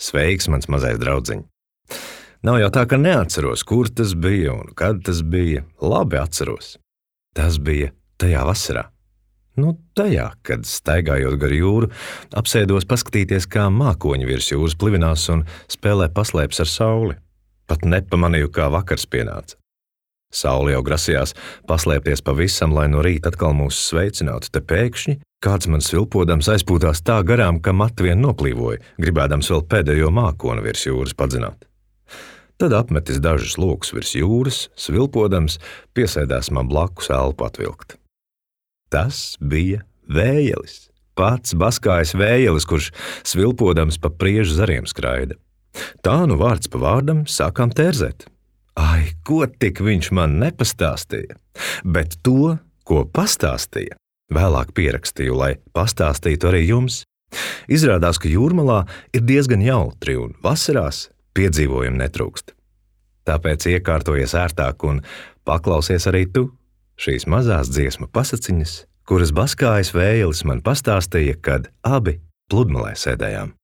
Sveiks, mans mazais draudziņ! Nav jau tā, ka neatceros, kur tas bija un kad tas bija. Labi atceros. Tas bija tajā vasarā. Tajā, kad staigājot gar jūru, apsēdos paskatīties, kā mākoņi virs jūras plivinās un spēlē paslēpes ar sauli. Pat nepamanīju, kā vakars pienāca. Saule jau grasījās paslēpties pavisam, lai no rīta atkal mūs sveicinātu, te pēkšņi kāds man svilpodams aizpūtās tā garām, ka mati vien noplīvoja, gribēdams vēl pēdējo mākoni virs jūras padzināt. Tad apmetis dažus lokus virs jūras, svilpodams, piesēdās man blakus elpu atvilkt. Tas bija vējelis, pats baskājs vējelis, kurš svilpodams pa priežu zariem skraida. Tā vārds pa vārdam sākām tērzēt. Ai, ko tik viņš man nepastāstīja, bet to, ko pastāstīja, vēlāk pierakstīju, lai pastāstītu arī jums. Izrādās, ka jūrmalā ir diezgan jautri un vasarās piedzīvojumi netrūkst. Tāpēc iekārtojies ērtāk un paklausies arī tu šīs mazās dziesmu pasaciņas, kuras baskājs vējelis man pastāstīja, kad abi pludmalē sēdējām.